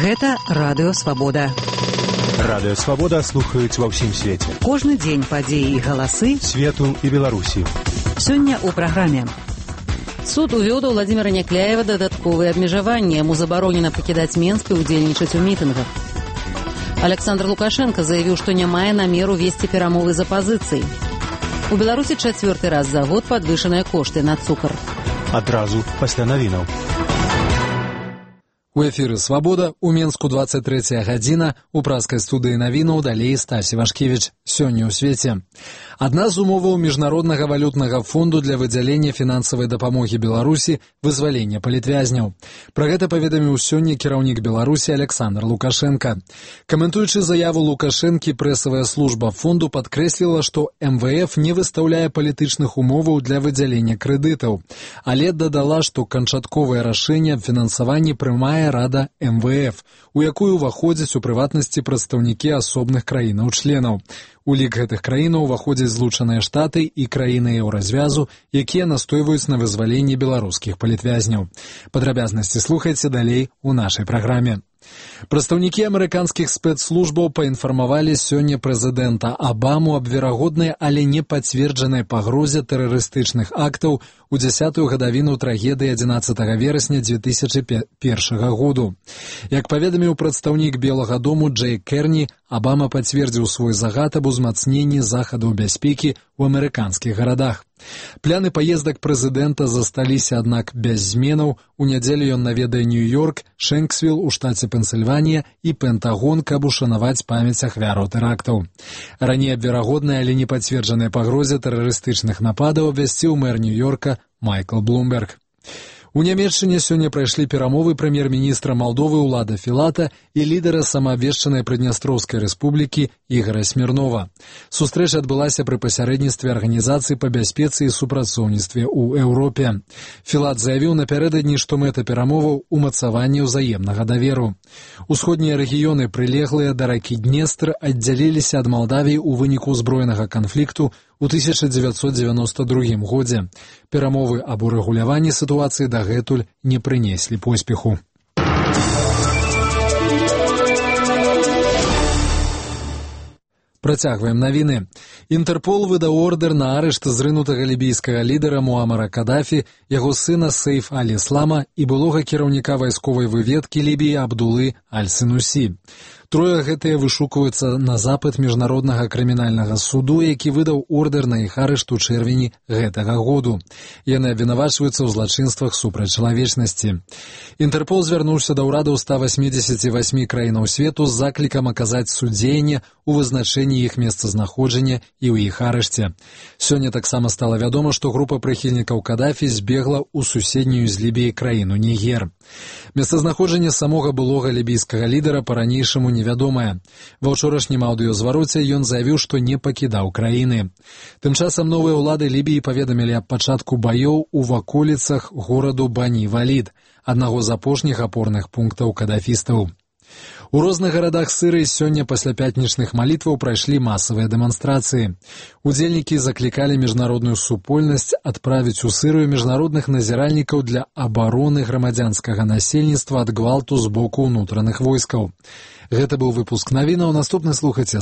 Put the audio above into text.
Гэта Радыё Свабода. Радыё Свабода слухаюць ва ўсім свеце. Кожны дзень падзеі і галасы свету і Беларусі. Сёння ў праграме. Суд увёў да Владзіміра Някляева дадатковыя абмежаванні. Яму забаронена пакідаць Менск і ўдзельнічаць у мітынгах. Александр Лукашенко заявіў, што не мае намеру весці перамовы з апазіцыяй. У Беларусі чацвёрты раз за год падвышаныя кошты на цукар. Адразу пасля навінаў. У эфіры «Свабода», у Менску 23 гадзіна, у праскай студыі навінаў далей Стасі Вашкевіч. Сёння ў свеце. Адна з умоваў Міжнароднага валютнага фонду для выдзялення фінансавай дапамогі Беларусі – вызвалення палітвязняў. Пра гэта паведаміў сёння кіраўнік Беларусі Александр Лукашенко. Каментуючы заяву Лукашэнкі, прэсавая служба фонду падкрэсліла, што МВФ не выстаўляе палітычных умоваў для выдзялення крэдытаў, але дадала, што канчатковае рашэнне аб фінансаванні прымае Рада МВФ, у якую ўваходзяць у прыватнасці прадстаўнікі асобных краінаў-членаў. У лік гэтых краінаў уваходзяць Злучаныя Штаты і краіны еўразвязу, якія настойваюць на вызваленні беларускіх палітвязняў. Падрабязнасці слухайце далей у нашай праграме. Прадстаўнікі амерыканскіх спецслужбаў паінфармавалі сёння прэзідэнта Абаму аб верагоднай, але не пацверджанай пагрозе тэрарыстычных актаў у 10-ю гадавіну трагедыі 11 верасня 2001 году. Як паведаміў прадстаўнік Белага дому Джей Керні, Абама пацвердзіў свой загад аб узмацненні захадаў бяспекі ў амерыканскіх гарадах. Пляны паездак прэзідэнта засталіся, аднак, без зменаў. У нядзелю ён наведае Нью-Йорк, Шэнксвілл у штаце Пенсільванія і Пентагон, каб ушанаваць памяць ахвяраў тэрактаў. Раней аб верагоднай, але не пацверджанай пагрозе тэрарыстычных нападаў абвясціў мэр Нью-Йорка Майкл Блумберг. У Нямецчыне сёння прайшлі перамовы прэм'ер-міністра Малдовы Улада Філата і лідара самаабвешчанай Прыднястроўскай рэспублікі Ігара Смірнова. Сустрэча адбылася пры пасярэдніцтве Арганізацыі па бяспецы і супрацоўніцтве ў Еўропе. Філат заявіў напярэдадні, што мэта перамоваў – умацаванне ўзаемнага даверу. Усходнія рэгіёны, прылеглыя да ракі Днестр, аддзяліліся ад Малдавіі ў выніку ўзброенага канфлікту у 1992 годзе. Перамовы аб урэгуляванні сітуацыі дагэтуль не прынеслі поспеху. Працягваем навіны. Інтэрпол выдаў ордэр на арышт зрынутага лібійскага лідара Муамара Кадафі, яго сына Сейф аль-Іслама і былога кіраўніка вайсковай выведкі Лібіі Абдулы аль-Сінусі. Трое гэтыя вышукваюцца на запыт Міжнароднага крымінальнага суду, які выдаў ордэр на іх арышт у чэрвені гэтага году. Яны абвінавачваюцца ў злачынствах супраць чалавечнасці. Інтэрпол звярнуўся да ўрадаў 188 краінаў свету з заклікам аказаць судзеянне ў вызначэнні іх месцазнаходжання і ў іх арышце. Сёння таксама стала вядома, што група прыхільнікаў Кадафі збегла ў суседнюю з Лібіяй краіну Нігер. Месцазнаходжанне самога былога лібійскага лідара па-ранейшаму невядомае. Ва ўчорашнім аўдыёзвароце ён заявіў, што не пакідаў краіны. Тым часам новыя ўлады Лібіі паведамілі аб пачатку баёў у ваколіцах гораду Бані-Валід, аднаго з апошніх апорных пунктаў кадафістаў. У розных гарадах Сірыі сёння пасля пятнічных малітваў прайшлі масавыя дэманстрацыі. Удзельнікі заклікалі міжнародную супольнасць адправіць у Сірыю міжнародных назіральнікаў для абароны грамадзянскага насельніцтва ад гвалту з боку ўнутраных войскаў. Гэта быў выпуск навінаў. Наступны слухайце